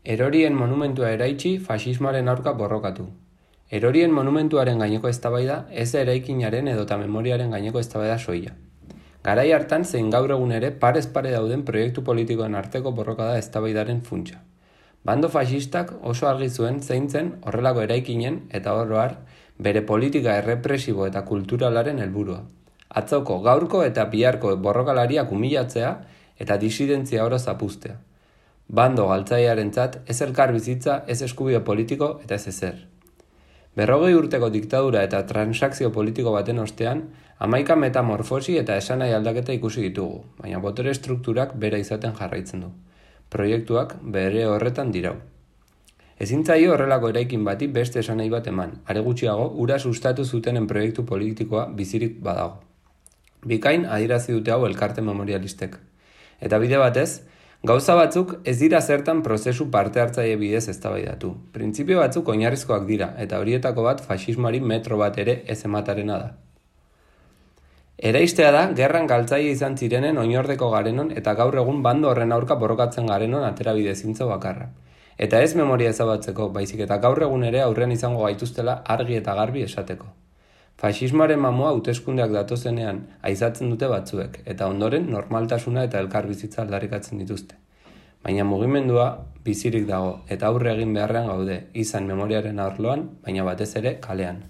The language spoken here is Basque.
Erorien monumentua eraitsi, faxismoaren aurka borrokatu. Erorien monumentuaren gaineko eztabaida ez da eraikinaren edota memoriaren gaineko eztabaida soila. Garai hartan zein gaur egun ere parez pare dauden proiektu politikoen arteko borrokada eztabaidaren funtsa. Bando faxistak oso argi zuen zein zen horrelako eraikinen eta oro har bere politika errepresibo eta kulturalaren helburua. Atzoko, gaurko eta biharko borrokalariak humilatzea eta disidentzia oro zapuztea. Bando galtzailearentzat ez elkar bizitza, ez eskubide politiko eta ez ezer. 40 urteko diktadura eta transakzio politiko baten ostean, 11 metamorfosi eta esanahi aldaketa ikusi ditugu, baina botere estrukturak bera izaten jarraitzen du. Proiektuak bere horretan dirau. Ezin zaio horrelako eraikin bati beste esanahi bat eman, are gutxiago ura sustatu zutenen proiektu politikoa bizirik badago. Bikain adierazi dute hau elkarte memorialistek. Eta bide batez, gauza batzuk ez dira zertan prozesu parte hartzaile bidez eztabaidatu. Printzipio batzuk oinarrizkoak dira, eta horietako bat faxismoari metro bat ere ez ematarena da. Eraistea da, gerran galtzaile izan zirenen oinordeko garenon eta gaur egun bando horren aurka borrokatzen garenon aterabide zintzo bakarra. Eta ez memoria ezabatzeko, baizik eta gaur egun ere aurren izango gaituztela argi eta garbi esateko. Faxismoaren mamua hauteskundeak datozenean aizatzen dute batzuek, eta ondoren normaltasuna eta elkarbizitza aldarrikatzen dituzte. Baina mugimendua bizirik dago, eta aurre egin beharrean gaude, izan memoriaren arloan, baina batez ere kalean.